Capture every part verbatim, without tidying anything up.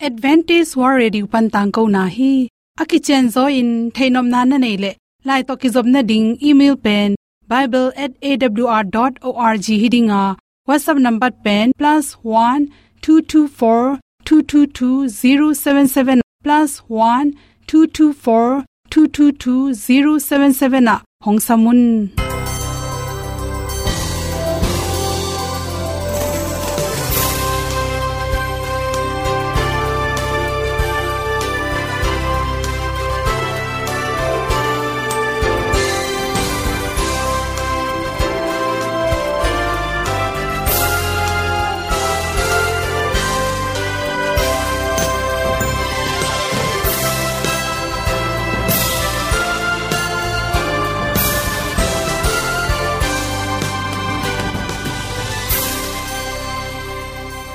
Adventist World Radio pan tangkona hi. A kicianzaw in theihnopna na neih leh, lai tawh kizopna ding email pen bible at A W R dot org hi ding a, WhatsApp number pen plus one two two four two two two zero seven seven, plus one two two four two two two zero seven seven ah hong sam un.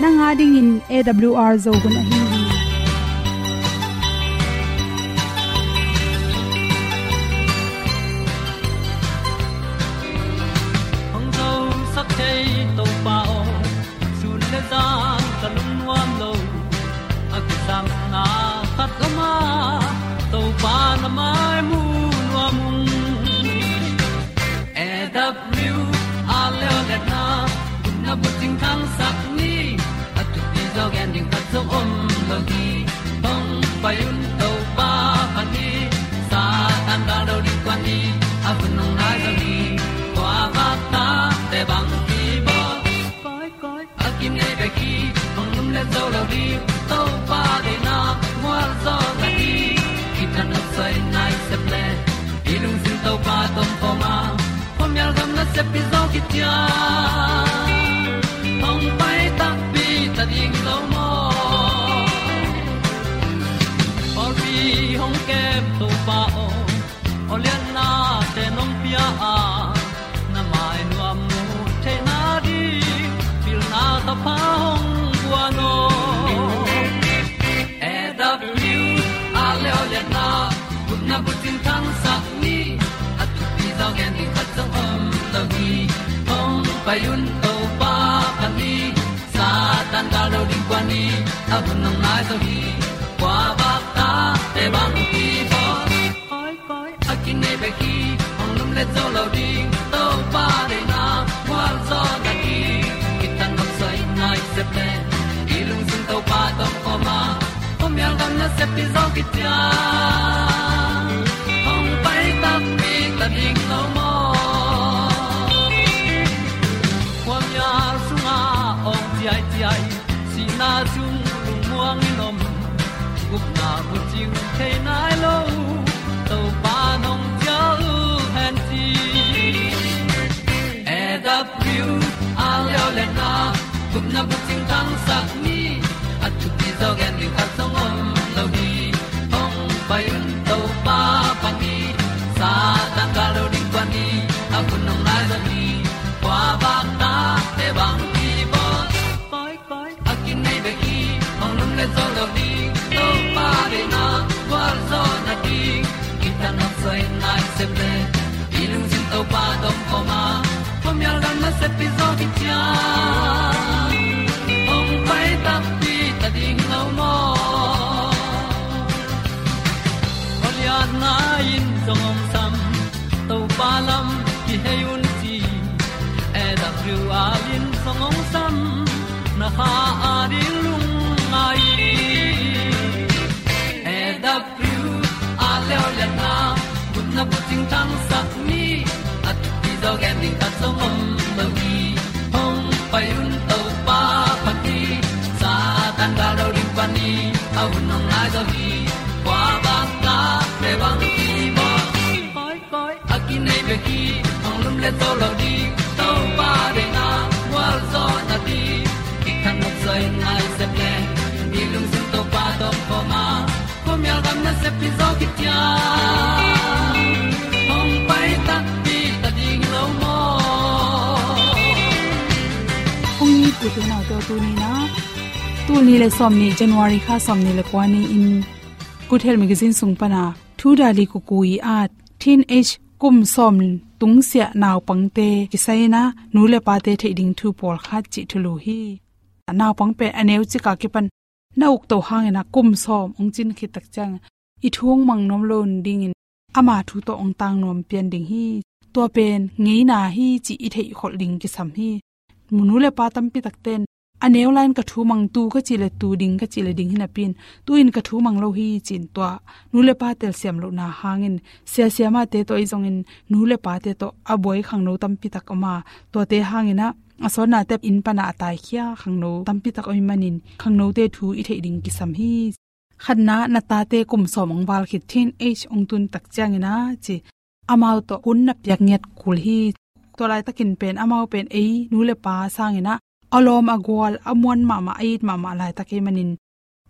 Nang a dingin A W R Zo hun ahi hi. Hong zosak thei Topa aw, sun le zan ka lungnuam lo. A kisapna khat om a, Topa na mai mu nuam ung. A W R Zo hun a bucing thangsak ni, a thupi zaw gen ding khat zong om lo hi. Hong pai un Topa phat ni, Satan gal do ding kuan ni, a hun hong nai zo hi. Kua vak ta te bang ki bawl. Koi, koi, a kim nei bek hi, hong lum le zo lo ding, Topa deihna mual zaw na hi. Kitang a soi nai sep le, i lungsim Topa tawh om khawm a, khuamial gam nasep pi zaw khit ciang, hong pai takpi ta ding lo maw. Pawlpi hong kem Topa aw, aw lianna te nong pia a, na mai nuam mu theihna ding, pilna thapha hong guan aw. A W R Zo hun a gupna bucing thangsak ni, a thupi zaw gen ding khat zong om lo hi. Hong pai un Topa phat ni, Satan gal do ding kuan ni, a hun hong nai zo hi. Kua vak ta te bang ki bawl. Koi, koi, a kim nei bek hi, hong lum le zo lo ding, Topa deihna mual zaw na hi. Kitang a soi nai sep le, i lungsim Topa tawh om khawm a, khuamial gam nasep pi zaw khit ciang, hong pai takpi ta ding lo maw. Khuamial sungah awng ciaiciai, sihna sung lungmuang in om, gupna bucing thei nai lo, Topa nong cial hen ci. A W R Zo hun a gupna bucing thangsak ni, a thupi zaw gen ding khat zong om lo hi. Hong pai un Topa phat ni, Satan gal do ding kuan ni, a hun hong nai zo hi. Kua vak ta te bang ki bawl. Koi, koi, a kim nei bek hi, hong lum le zo lo ding, Topa deihna mual zaw na hi. Kitang a soi nai sep le, i lungsim Topa tawh om khawm a, khuamial gam nasep pi zaw khit ciang, hong pai takpi ta ding lo maw. Aw lianna in zong hong sam, Topa lam kihei un ci. A W R in zong hong sam, na kha a ding lungngai. A W R Zo hun a gupna bucing thangsak ni, a thupi zaw gen ding khat zong om lo hi. Hong pai un Topa phat ni, Satan gal do ding kuan ni, a hun hong nai zo hi. Kua vak ta te bang ki bawl. Koi, koi, a kim nei bek hi, hong lum le zo lo ding, Topa deihna mual zaw na hi. Kitang a soi nai sep le, i lungsim Topa tawh om khawm a, khuamial gam nasep pi zaw khit ciang, hong pai takpi ta ding lo maw. Hong it u te nau te, tuni-in ah, tul nih le sawmnih, January kha sawmnih le kua ni-in, Good Health Magazine sung pan a, Thu Dali Kukui at teenage, kum sawm tungsiah naupangte kisai-in ah, nu le pate theih ding thu pawlkhat cih thulu hi. Naupang pen a neu cik a kipan na ukto hangin ah kum sawm hong cin khit tak ciang i thu hong mang nuam lo nadingin ama thu tawh hong tang nuam pian ding hi. Tua pen ngeina hi cih i theih kholh ding kisam hi. Nu le pa tampi takte in a neu lai-in ka thu mang, tu ka cih leh tu, ding ka cih leh ding hi napi-in, tu-in ka thu mang lo hi ci-in tua nu le pa telsiam lohna hangin, sia siamahte tawh ahi zongin nu le pate tawh a buai khangno tampi tak om a, tuate hangin ah a sawtnate inn pan ah a taikhia khangno tampi tak om ahih manin khangnote thu i theih ding kisam hi. Khatna, na tate kum sawm hong val khit, teenage hong tun tak ciangin ah ci, amau tawh hun na piak ngiat kul hi. Tua laitakin pen amau pen ei nu le pa sangin ah a lawm a gual, a muan mahmah, a it mahmah laitak ahih manin,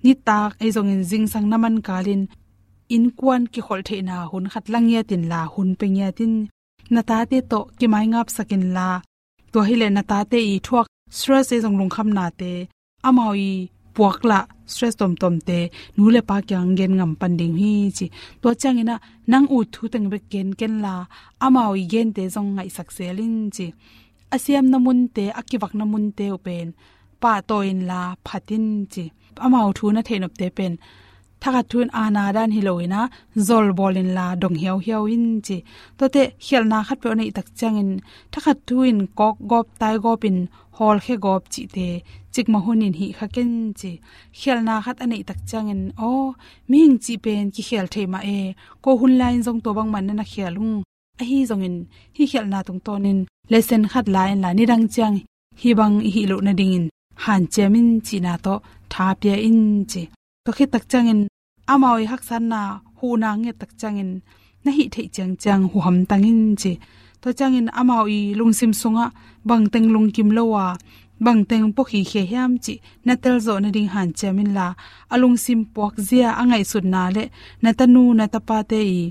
nitak ahi zongin zingsang na man kalin innkuan kikholh theihna hun khat la ngiat inla, hun pia ngiat in. Na tate tawh kimaingapsak inla, tua hileh na tate i thuak stress ahi zong lungkhamnate amau i puak lah stress tuamtuamte nu le pa kiang gen ngam pan ding hi ci. Tua ciangin ah nang ut thu teng bek gen kenla, amau i gente zong ngaihsak zel in ci. A siamna munte, a kivakna munte uh pen pahtawi inla phat in ci. Amau thu na theih nopte pen thakhat thu in aana dan hi loin ah zol bawl inla dong hiauhiau in ci. Tuate khialhna khatpeuh a neih tak ciangin thakhat thu in kawk gawp, tai gawp in hawlkhia gawp cihte cikmah hunin hih kha ken ci. Khialhna khat a neih tak ciangin, aw, mihing cih pen kikhial thei mah e, ko hun lai-in zong tua bangmah na na khial ung. Ahi zongin hih khialhna tungtawnin lesson khat la inla, nidang ciang hih bang i hih loh nadingin hanciam in cihna tawh tha pia in ci. Tua khit tak ciangin amau i haksatna huhna ngiat tak ciangin na hih theih ciangciang huham tang in ci. Tua ciangin amau i lungsim sungah bangteng lungkim lo a, bangteng puakhikhia hiam cih na telzawh nading hanciam inla, a lungsim puakzia, a ngaihsutna le na tanu na tapate i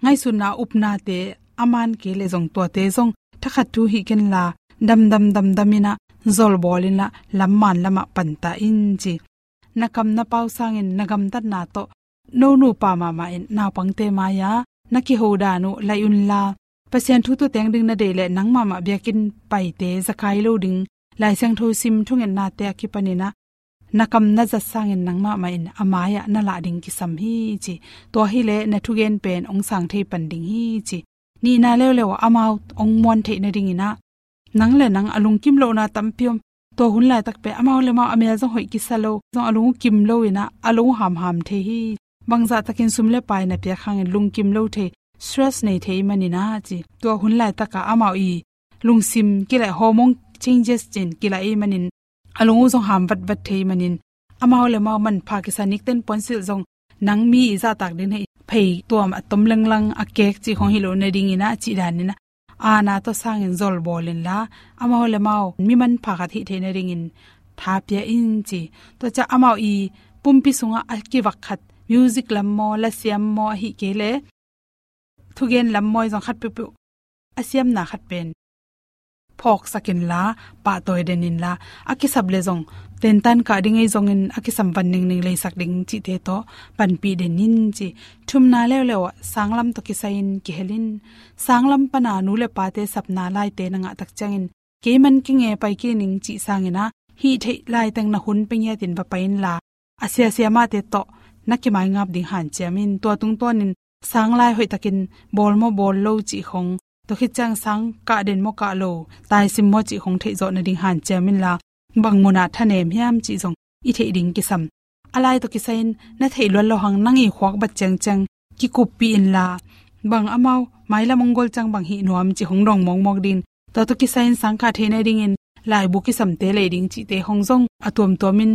ngaihsutna, upnate a man kei leh zong tuate zong thakhat thu hih kenla, damdam damdam in ah zol bawl inla lam man lamah panta in ci. Na kam na pau sangin na gamtatna tawh no nupa mahmah in naupangte mai-ah na kiho dan uh laih unla, Pasian thu tawh teng ding na deih leh nang mahmah biakinn paite zakai lo ding, Lai Siangtho sim, thungetnate a kipanin ah na kam na zat sangin nang mahmah in a mai-ah na lah ding kisam hi ci. Tua hileh na thugen pen hong sang thei pan ding hi ci. Nihna leuleu ah amau hong muan theih nadingin ah nang le nang a lungkim lohna tampi om. Tua hun laitak pen amau le amau a mel zong hoih kisa lo, zong a lung uh kim lo in ah a lung uh hamham thei hi. Bangzah takin sum le pai na piak hangin lungkim lo thei, stress nei thei manin ah ci. Tua hun laitak ah amau i lungsim kilaih, hormone changes cin kilaih ahih manin a lung uh zong ham vatvat thei manin amau le amau manpha kisa, nikten puansilh zong nang mi i zahtak ding hi, phei tuam a tom lenglang a kek cih khong hi loh nadingin ah cih danin ah aana tawh sangin zol bawl inla, amau le amau mi manpha khat hih theih nadingin tha pia in ci. Tua ciang amau i pumpi sungah a kivak khat, music lam maw, lasiam maw, ahih kei leh thugen lam maw, ahi zong khat peuhpeuh a siamna khat pen phawksak inla, pahtawi den inla, a kisap leh zong tentan kah ding ahi zongin a kisam van ningning leisak ding cihte tawh panpih den in ci. Thumna leuleu ah sanglam tawh kisai-in kihel in. Sanglam pana nu le pate sapna laite na ngah tak ciangin, kei man kei nge pai kei ning cih sangin ah hih theih laiteng na hun pia ngiatin va pai inla, a siasia mahte tawh na kimaingap ding hanciam in. Tua tungtawnin sanglai hoihtakin bawl maw bawl lo cih khong, tua khit ciang sang kah den maw kah lo, taisim maw cih khong theihzawh nading hanciam inla, bang munah thanem hiam cih zong i theih ding kisam. A lai tawh kisai-in na theih luat loh hang nang i khuak bat ciangciang kikuppih inla, bang amau mailam hong gol ciang bang hih nuam cih hong dong mawkmawk ding. Tua tawh kisai-in sang kah thei nadingin laibu kisamte lei ding cihte hong zong a tuamtuamin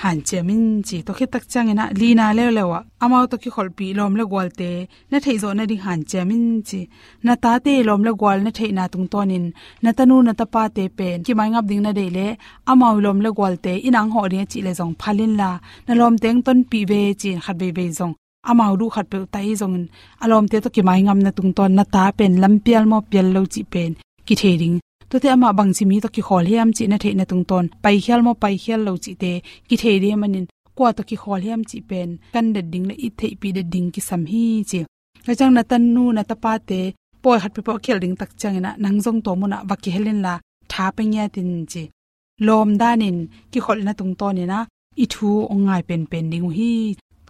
hanciam in ci. Tua khit tak ciangin ah lina leuleu ah amau tawh kikholhpih lawm le gualte na theihzawh nading hanciam in ci. Na tate lawm le gual na theihna tungtawnin na tanu na tapate pen kimaingap ding na deih leh amau lawm le gualte i nang hawh ding a cih leh zong phal inla, na lawmte hong tonpih ve ci-in khat veivei zong amau duh khat peuh ta i zongin a lawmte tawh kimaingapna tungtawn na ta pen lampial maw pial lo cih pen kithei ding. Tuate amah bangci mi tawh kikhawl hiam cih na theihna tungtawn paikhial maw paikhial lo cihte kithei ding ahih manin kua tawh kikhawl hiam cih pen kan det ding le i theihpih det ding kisam hi ci. Tua ciang na tanu na tapate pawi khat peuhpeuh a khialh ding tak ciangin ah nang zong tua munah va kihel inla tha pia ngiat in ci. Lawm danin kikholhna tungtawnin ah i thu hong ngai penpen ding uh hi.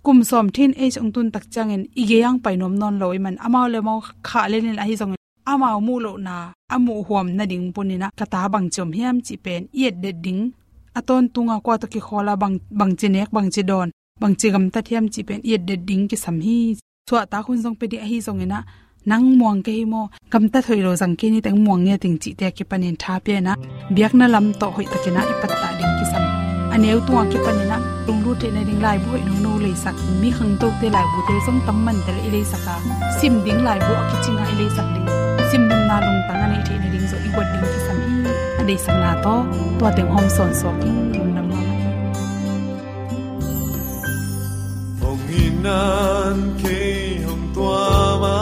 Kum sawm teenage hong tun tak ciangin i gei ah pai nuam nawn lo ahih man amau le amau khah lel in ahi zongin amau muh lohna a muh huam nading panin ah ka ta bangci om hiam cih pen i etdet ding, a tawntung a kua tawh kikhawl a bang, bangci nek, bangci dawn, bangci gamtat hiam cih pen i etdet ding kisam hi. Suahtak hun zong pia ding ahi zongin ah, nang muang kei hi maw, gamtat hoih lo zang kei ni teng muang nge teng cihte a kipanin tha pia in ah, biakna lam tawh hoih takin ah i pattah ding kisam. A neu tung a kipanin ah lunglut theih nading laibu hoih nono leisak, mi khangtote laibute zong tam man teh i leisak a, sim ding laibu a kicing a i leisak ding, sim nopna lungtang a neih theih nading zong i guat ding kisam hi. A deihsakna tawh tua teng hong sawn suak ing. Lungdam mahmah hi. Hong in nan kei hong tuam a,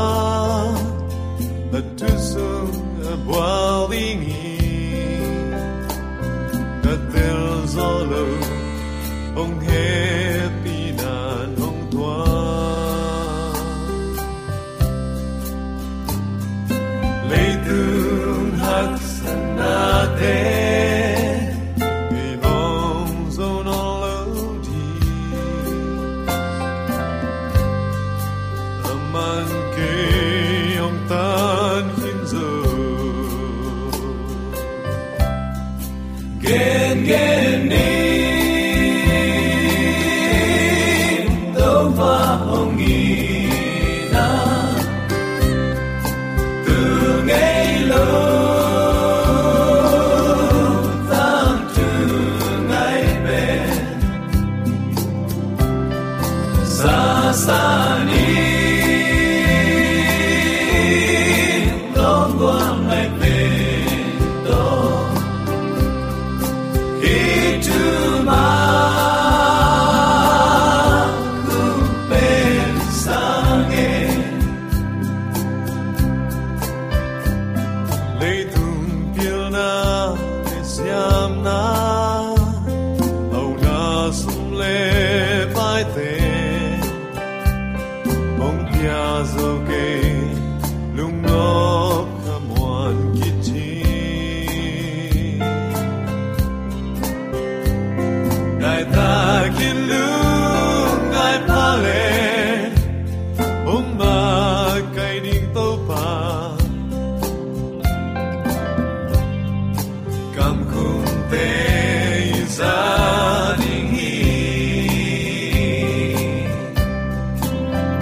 a thu sung a bual ding hi. Ka tel zo lo, hong hehpih nan hong tuam. Leitung haksatnate i hong zo nawn lo ding, a man kei hong tan khin zo. Gengen ni, Topa hong in a, tu ngei lo, tangthu ngai pen, sasa ni, lawm gual ngai pen tawh, hi thu mah hong pen sa nge. Leitung pilna le siamna, hauna sum le paite, hong pia zo kei, lungnop khamuan kici. Ngai takin lungngai pha le, hong makaih ding Topa, kamkhumte i za ding hi.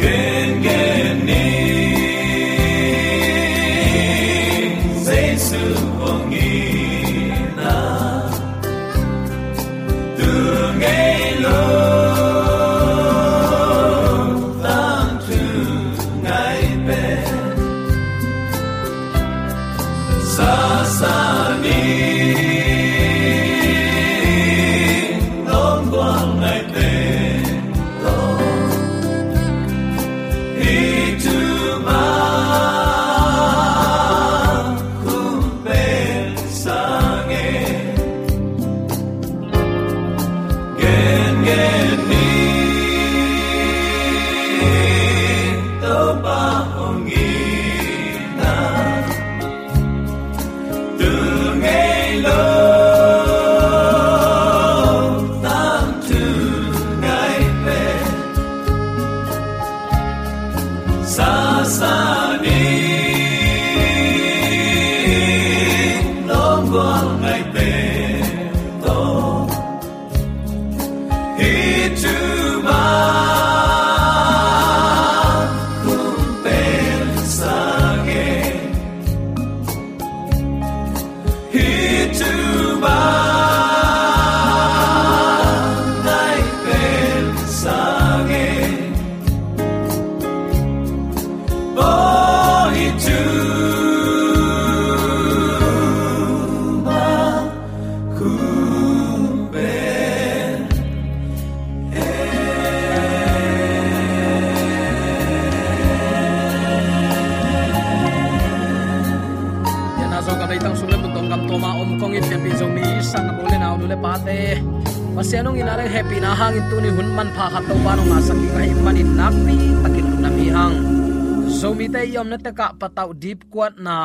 Gengen ni, Jesu hong in a, tu ngei lo, tangthu ngai pen, sasa ni, lawm gual ngai pen tawh, hi thu mah hong pen sa nge. Gengen ni, Topa hong in a, tu ngei lo, tangthu ngai pen, sasa ni, lawm gual ngai pen tawh, hi thu mah hong pen sa nge. Hi thu mah ngai pen sa nge. Oh, hi thu mah hong pen. Pianna zong gam leitang sung le mun tawh gam tuam a om kong it pianpih Zomi sang a u le nau, nu le pate, Pasian hong itna le hehpihna hangin tuni hun manpha khat Topa'n hong ngahsak ding ahih manin nakpi takin lungdam hi hang. Zomite i omna tekah patauh dipkuatna,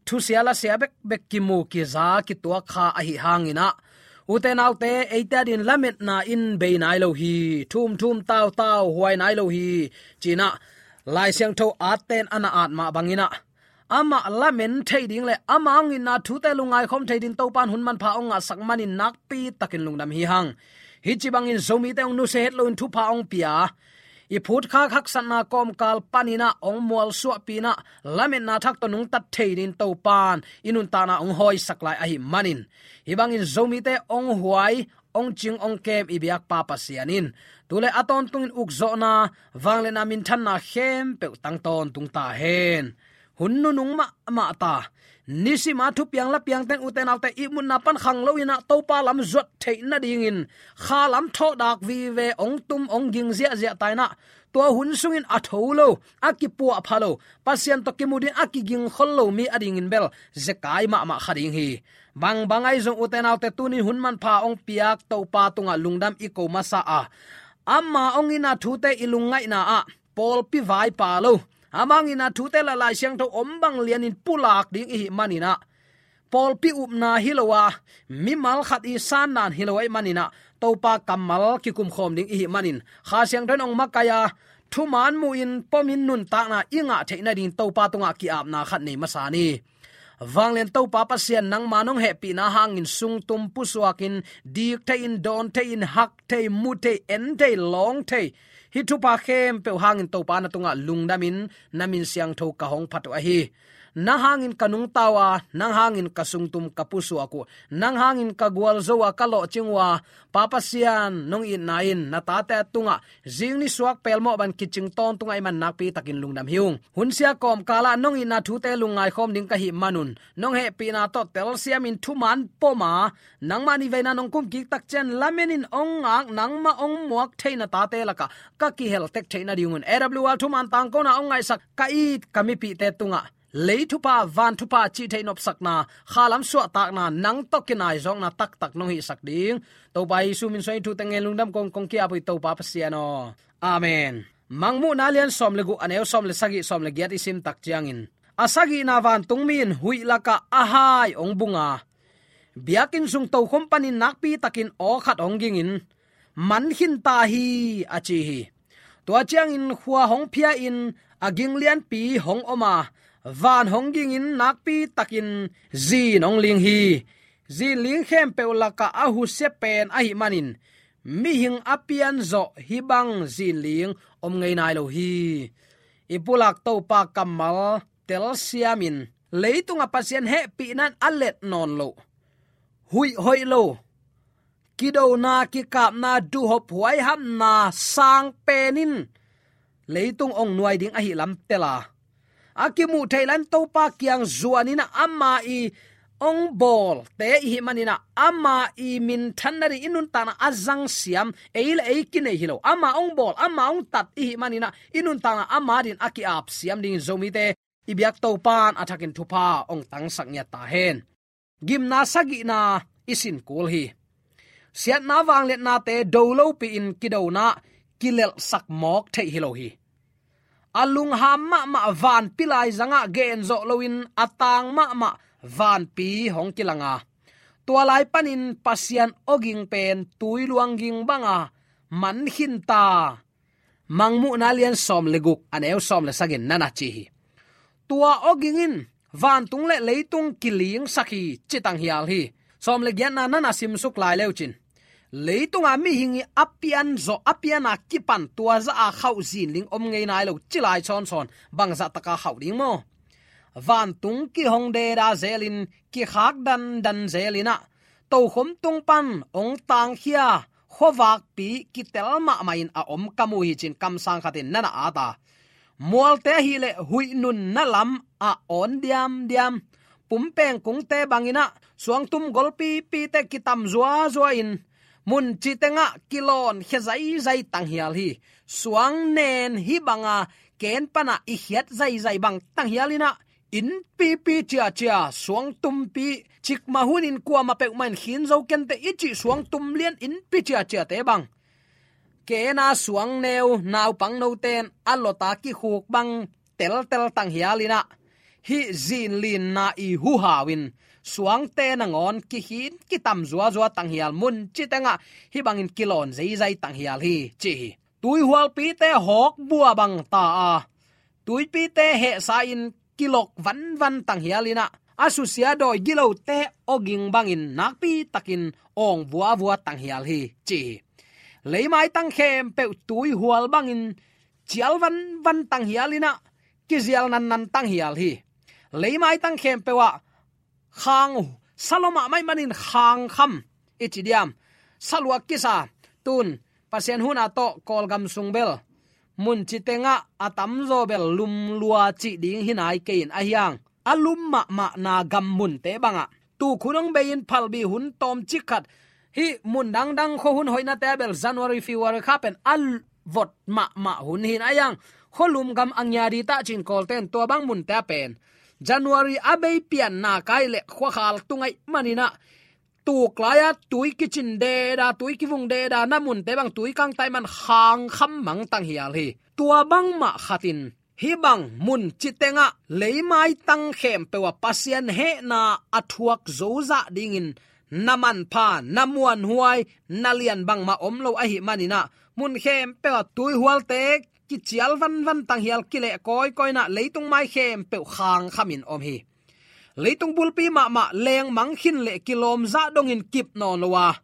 thusia lasia bekbek kimu kiza kituak kha ahih hangin ah, Ute naute, eite adingin lametna in bei nai lo hi, thumthum tautau huai nai lo hi, ci-in ah Lai Siangtho atte in a na at mah bangin ah, amah lamen thei ding le ama hong itna thute lungngaikhawm thei dingin Topa in hun manpha hong ngahsak manin nakpi takin lungdam hi hang. Hih ci bangin Zomite hong nusia het loin thupha hong pia, i phutkhak haksatna kawmkal panin ah hong mualsuahpih in ah, lametna thak tawh nungtat thei dingin Topa in i nuntakna hong hawisak lai ahih manin, hih bangin Zomite hong huai, hong cing, hong kem i biak Pa Pasian in tu le a tawntungin ukzawhna, vangliatna, minthanna khempeuh tang tawntung ta hen. Hun nunung mahmah ta, nisima thupiang lapiangte in, ute naute, ihmutna pan khang loin ah Topa lam zuat theih nadingin kha lam thawhdak vive, hong tum, hong ging ziahziah ta in ah, tua hun sungin a tho lo, a kipuahpha lo, Pasian tawh kimu dingin a kigingkhol lo mi adingin bel zekai mahmah kha ding hi. Bangbang ahi zong, ute naute, tuni hun manpha hong piak Topa tungah lungdam i ko masa a, ama hong itna thute i lungngaihna ah pawlpi vaipa lo, ama hong itna thute le Lai Siangtho om bang lianin pulak ding i hih manin ah, pawlpi upna hi lo a, mimal khat i sandan hi lo ahih manin ah, Topa kammal kikumkhawm ding i hih manin, Kha Siangtho in hong makaih a, thuman muhin pomin nuntakna i ngah theih nadingin Topa tungah ki-apna khat nei masa ni. Vanglian Topa Pasian, nangma nong hehpihna hangin sungtum pusuakin, dik thei-in, dawn thei-in, hak thei, mu thei, en thei, lawng thei, hih thupha khempeuh hangin Topa na tungah lungdamin na min siangtho ka hong phat uh ahi. Nang hangin ka nungta uh a, nang hangin ka sungtum ka pusuak uh, nang hangin ka gualzo a, ka lawhcing uh a, Pa Pasian, nong itna in na tate tungah zing nisuak pelmawh bang kicing tawntung ahih man nakpi takin lungdam hi ung. Hunsia kawmkalah nong itna thute lungngaikhawm ding ka hih manun, nong hehpihna tawh telsiamin thuman pom a, nangmah nih veina nong kumkik tak ciang lamenin hong ngak, nangmah hong muak thei na tate lakah ka kihel tek theih nadingun, A W R thuman tangkona hong ngaihsak ka it ka mipihte tungah lei thupha, van thupha, cih theih nopsakna, kha lam suahtakna, nang tawh kinaizawkna taktak nong hihsak ding, Topa Jesu min suangin thute ngen lungdam kong kong ki-ap uh hi, Topa Pasian aw. Amen. Mangmuhna lian sawm le guk, a neu sawm le sagih, sawm le giat i sim tak ciangin, a sagihna vantungmi in huih lakah a hai hong bung a, biakinn sung tokhom panin nakpi takin aw khat hong gingin, "Man khin ta hi," a ci hi. Tua ciangin khua hong phia-in a ging lianpi hong om a, van hong gingin nakpi takin zin hong ling hi. Zinling khempeuh lakah a husia pen ahih manin, mihing a pianzawh hih bang zinling om ngei nai lo hi. I pulak Topa kammal telsiamin, leitungah Pasian hehpihna in a let nawn loh, huih hoih lo, kidona, kikapna, duhhop, huaihapna sang pen in leitung hong nuai ding ahih lam tel a, a kimuh theih lai-in Topa kiang zuanin ah, ama i hong bawlte i hih manin ah, ama i minthan nading i nuntakna a zangsiam, ei le ei kinei hi lo, ama hong bawl, ama hong tat i hih manin ah, i nuntakna ama adingin a ki-apsiam dingin Zomite i biak Topa in a thakin thupha hong tangsak ngiat ta hen. Gimna sagihna i sin kul hi. Siatna vangliatnate do lopi-in kidona kilelhsak mawk theih hi lo hi. A lungham mahmah vanpi laizangah gen zawh loin a tang mahmah vanpi hong kilang a, tua lai panin Pasian awging pen tuiluang ging banga man khin ta. Mangmuhna lian sawm le guk, a neu sawm le sagih-in na na ci hi. Tua awging in vantung le leitung kilingsak hi, ci tanghial hi. Sawm le giatna na na simsuk lai leu cin, leitunga mihing i a pianzawh, a piana kipan tua zah a khauh zinling om ngei nai lo ci lai sawnsawn, bangzah taka khauh ding maw? Vantung kihong deda zelin, kikhak dandan zelin ah, tokhom tung pan hong tangkhia khuavakpi kitel mahmah in a om ka mu hi, ci-in kamsang khatin na na at a, mualte ahih leh huih nunna lam a awn diamdiam, pumpeng kungte bangin ah suangtum golpipite kitam zuazua in, mun cih tengah kilawnkhia zaizai tanghial hi. Suang nen hih banga ken pana i khiat zaizai bang tanghial in ah, innpipi ciacia, suangtumpi, cikmah hunin kuamah peuhmah in khin zo kente i cih suangtum lian innpi ciaciate bang, kena suangneu, naupang note in a lawta kikhuk bang teltel tanghial in ah, hih zinlinna i huhau in suangte nangawn kikhin kitam zuazua tanghial, mun citengah hih bangin kilawn zeizai tanghial hi, ci hi. Tuihualpite hawkbua bang ta a, tuipite hehsa-in kilok vanvan tanghial inah, a susia dawi gilote awging bangin nakpitakin awng vuavua tanghial hi, ci hi. Leimaitang khempeuh tuihual bangin cial vanvan tanghial inah, kizial nannan tanghial hi. Leimaitang khempeuh ah khang, salom ah maih manin khangkham i ci diam, saluak kisa, tun Pasian hun a tawh Kawlgam sung bel mun citengah a tamzaw bel lum lua cih ding hi nai kei in, ahi hang a lum mahmahna gam munte bangah tukhun hong bei-in phalbi hun tawmcik khat, hih mun dangdang khua hun hoihnate ah bel January, February kha pen a vot mahmah hun hi in, ahi hang khualum gam a ngia di tah ci-in Kawlte in tua bang munte ah pen January a bei pianna kai leh khuakhal tung ahih maninah, tuk lai-a tui kicin deda, tui kivung deda, na munte bang tui kangtai man khangkham mang tanghial hi. Tua bangmah khatin hih bang mun citengah leimaitang khempeuh ah Pasian hehna a thuak zozah dingin na manpha, na muanhuai, na lian bangmah om lo ahih maninah, mun khempeuh ah tuihualte kicial vanvan tanghial, kileh kawikawi inah, leitung mai khempeuh khangkhamin om hi. Leitung bulpi mahmah lengmang khin leh kilawmzah dongin kip nawn lo a,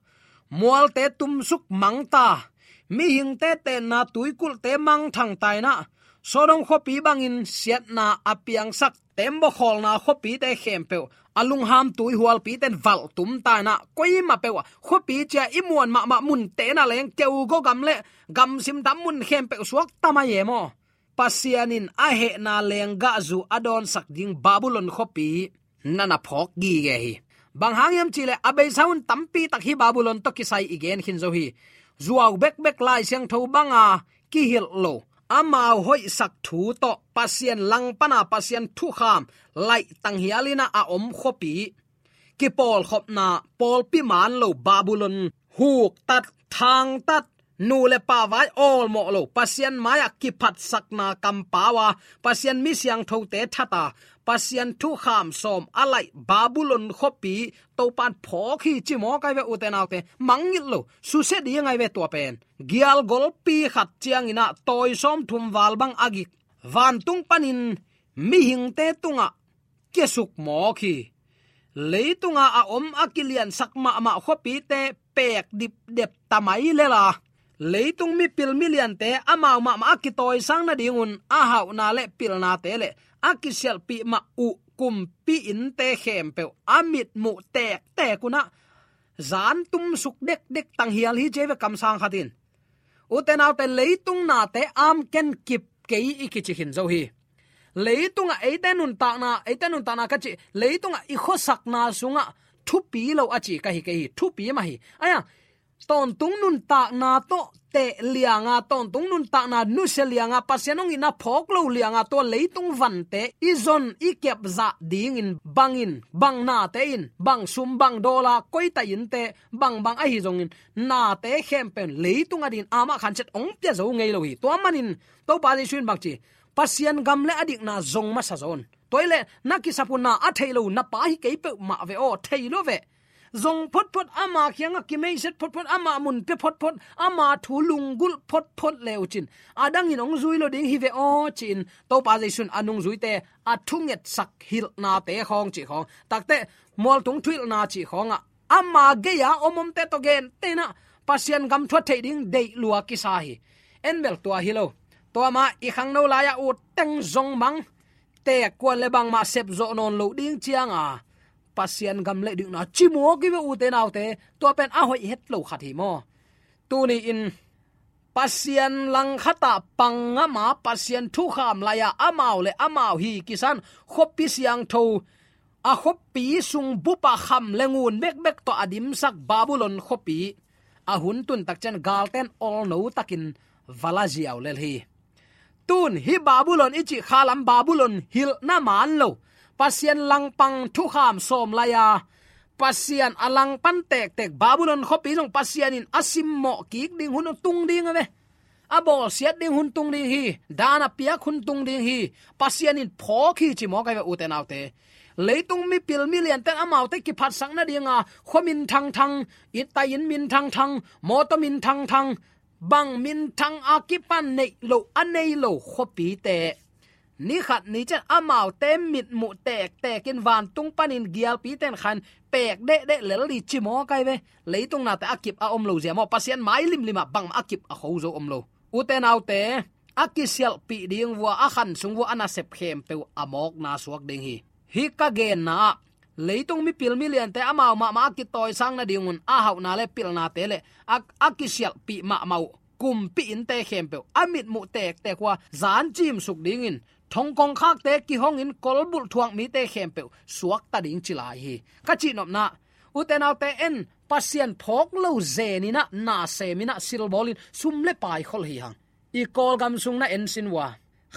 mualte tumsuk mangta, mihingte tenna tuikulhte mangthangta inah, Sodom khuapi bangin siatna a piangsak tembaw khawlna khuapite khempeuh a lungham tuihualpite in valhtumta inah, koimah peuh ah khuapi cia i muan mahmah munte na leng keugaw gam le gamsim tam mun khempeuh suakta mai e maw? Pasian in a hehna lenggahzu a dawnsak ding Babylon khuapi na na phawk gige hi. Bang hang hiam cihleh a beisa hun tampitak hih Babylon tawh kisai i gen khin zo hi. Zuau bekbek Lai Siangtho banga kihilh lo, amau hoihsak thu tawh Pasian langpana Pasian thukham laih tanghial inah a om khuapi, kipawlkhopna, pawlpi man lo Babylon, huktat, thangtat, nu le pa vai awlmawh lo, Pasian mai-ah kiphatsakna kampau a, Pasian mi siangthote that a, Pasian thukham sawm a laih Babylon khuapi Topan phawk hi ci mawk ai ve, ute naute. Mangngilh lo, susia ding ai ve tua pen. Gialgolpi khat cianginah tawi sawmthum val bang a gik vantung panin mihingte tungah kiasuk mawk hi. Leitunga a om a kiliansak mahmah khuapite pek dipdep ta mai lela, leitung mipil miliante amau mahmah a kitawisang nadingun a hauhna le pilnate le a kisialhpih mah uh kumpi innte khempeuh a mitmuh tektek unah zan tumsuk dekdek tanghial hi ci ai ve, kamsang khatin. Ute naute, leitung nate amken kip kei i kici khin zo hi. Leitungah eite nuntakna, eite nuntakna ka cih, leitungah i khuasakna sungah thupi lo a ci ka hi kei hi, thupi mah hi. Aia, tawntung nuntakna tawh teh lianga, tawntung nuntakna nusia lianga, Pasian hong itna phawk lo lianga, tua leitung vante i zon i kepzah dingin bangin, bang nate in, bang sum, bang dawla, koita innte, bangbang ahi zongin, nate khempeuh in leitung adingin amah khanciat hong pia zo ngei lo hi. Tua manin Topa Jesu in bang ci, Pasian gam le a dikna zong masa zaw un. Tua hi leh na kisap uh na a theih lo na Pa hi kei peuhmah ve aw, thei lo ve. Zong photphot, ama kiangah kimeisiat photphot, ama mun pia photphot, ama thu lunggulh photphot le uh cin, a dangin hong zui lo ding hi ve aw, ci-in Topa Jesu in a nungzuite a thungetsak hilhnate khawng cih khawng, takte mualtung thuhilhna cih khawngah ama gei-a om omte tawh gentehna Pasian gam thu a theih ding deih lua kisa hi. En bel tua hi lo. Tua mah i khangno lai-ah ut teng zong mang, teek kuan le bangmah sepzawh nawn loh ding cianga Pasian gam le dikna ci mawk hi ve, ute naute. Tua pen a hoih het lo khat hi maw? Tuni-in Pasian langkhatah pang ngama Pasian thukham lai-a amau le amau hi kisan khuapi siangtho, a khuapi sung bupah kham le ngun bekbek tawh a dimsak Babylon khuapi a hun tuntak ciang galten olno takin va la ziau lel hi. Tun hih Babylon i cih khalam Babylon hilhna man lo, Pasian langpang thukham sawm lai-a Pasian a langpan tektek Babylon khuapi zong Pasian in a simmawh kik ding hun tung ding a ve. A bawlsiat ding hun tung ding hi. Daan a piak hun tung ding hi. Pasian in phawk hi ci mawk ai ve, ute naute. Leitung mipil miliante'n amaute kiphatsak nadinga khua minthangthang, inn tai inn minthangthang, mawtaw minthangthang, bang minthang a kipan neih loh, a nei lo khuapite, ni khat ni ciang amaute mitmuh tektek in vantung panin gialpite'n khan pek dehdeh lel ding ci mawk ai ve. Leitung nate a kip a om lo zia maw, Pasian mai limlim ah bangmah a kip a kho zo om lo. Ute naute, a kisialhpih ding vua, a khan sung vua a nasep khempeuh a mawkna suak ding hi. Hih ka genna ah, leitung mipil miliante amau mahmah a kitawisang nadingun a hauhna le pilnate le a, a kisialhpih mahmah uh kumpi innte khempeuh a mitmuh tektek uh a zan cimsuk dingin, thong kongkhakte kihongin kolbulh thuak mite khempeuh suakta ding ci lai hi. Ka cihnopna, ute naute, en Pasian phawk lo zeninah, na seminah, silbawlin sum le pai khol hi hang. I Kawlgam sung na en sin vua,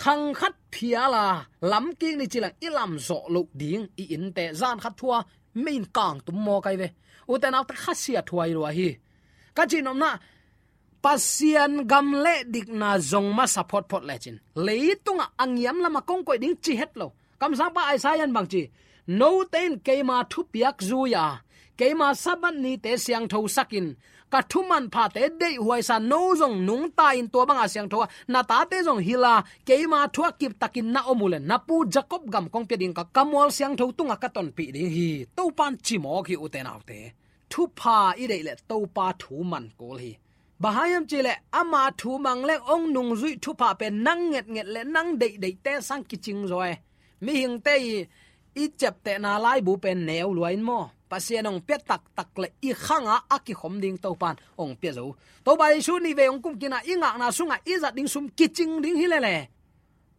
khang khat phiala lamkik ni cilang i lamzawh loh ding i innte zan khat thua mei in kangtum mawk ai ve. Ute naute, khasia thuai lua hi. Ka cihnopna, Pasian gam le dikna zong masa photphot lecin, leitungah a ngiam lamah kong koih ding ci het lo. Kamsangpa Isaiah in bang ci? Note in keima thupiak zui-a, keima Sabbath nite siangthosakin, ka thumanphate deihhuaisa, no zong nungta in tua banga siangtho a, na tate zong hila, keima thu a kiptakin na om uhleh na pu Jacob gam kong pia ding, ka, ka mual siangtho tungah ka tonpih ding hi. Topa'n ci mawk hi, ute naute. Thupha i deih leh Topa thu man kul hi. Bang hang hiam cihleh ama thu mang leng hong nungzuih thupha pen nang ngetnget le nang deihdeihte sang kicing zaw e. Mihingte i, i ciaptehna laibu pen neu lua in maw, Pasian hong pia taktak le i khangah a kikhom ding Topa'n hong pia zo. Topa Jesu nih vei hong kumkina i ngakna sungah i zat ding sum kicing ding hi lele.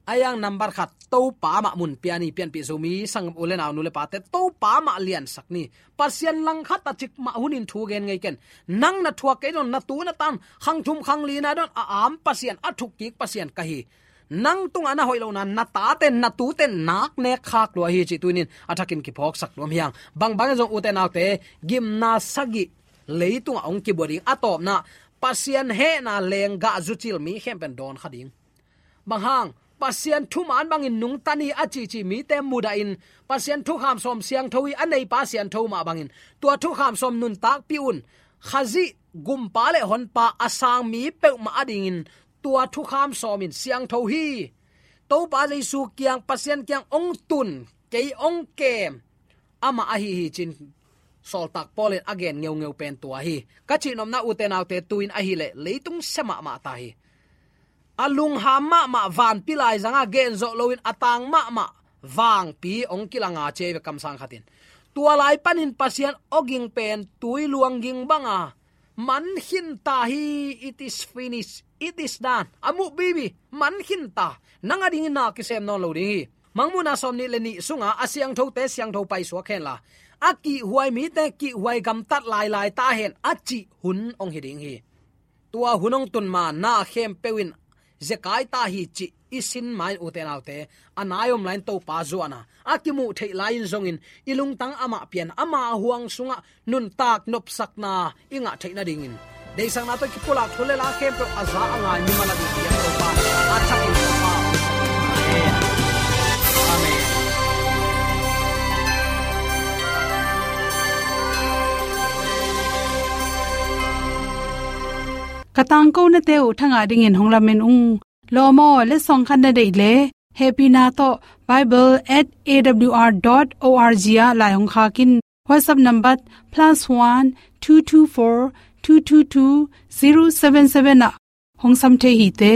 A yang nambat khat, Topa mah mun pia ni, pianpih Zomi sanggam u le nau, nu le pate, Topa mah liansak ni. Pasian langkhat a cik mah hunin thu gen ngei ken. Nang na thuak kei dawn, na tu na tan, khang thum khang lina dawn a am Pasian, a thukkik Pasian ka hi. Nang tungah na hoih lohna, na tate, na tute nak nek khak lua hi cih tuni-in a thakin kiphawksak nuam hi hang. Bangbang zong, ute naute, gimna sagih leitungah hong kibua ding. A tawpna, Pasian hehna lenggah zucil mi khempeuh in dawn kha ding. Bang hang? Pasian thuman bangin nungta ni a cici mite mudahin, Pasian thukham sawm siangtho hi, a neipa siangtho mah bangin, tua thukham sawm nuntakpih un. Khazih gumpa le honpa a sang mi peuhmah adingin tua thukham sawm in siangtho hi. Topa Jesu kiang, Pasian kiang hong tun, kei hong kem, amah ahi hi ci-in sawltak Paul in a gen ngeungeu pen tua hi. Ka cihnopna, ute naute, tu-in ahih leh leitung sia mahmah ta hi. A lungham mahmah vanpi laizangah genzawh loin a tang mahmah vangpi hong kilanga ci ei ve, kamsang khatin. Tua lai panin Pasian awging pen tui luang ging banga man khin ta hi. It is finished. It is done. A muh bibi, man khin ta. Nang adingin na kisem nawn lo ding hi. Mangmuhna sawmnih le nih sunga a siangthote siangtho paisuak henla, a kihhuai mite kihhuai gamtat lailai ta hen, a cih hun hong hi ding hi. Tua hun hong tun ma na khempeuh in zekai ta hi cih i sin ma-in, ute naute, a nai om lai-in Topa zuan a, a kimuh theih lai-in zongin i lungtang amah pian, ama huang sungah nuntak nopsakna i ngah theih nadingin, deihsakna tawh kipulak thu le la khempeuh a za a ngai mimal a ding pian Topa a thakin Topa. Amen. Amen. Ka tangkonate uh thangah dingin hong lamen ung. Lawm aw, letsong khat na deih leh, hehpihna tawh bible at A W R dot O R G ah lai hong khak in. WhatsApp number plus one two two four two two two zero seven seven ah hong sam thei hi te.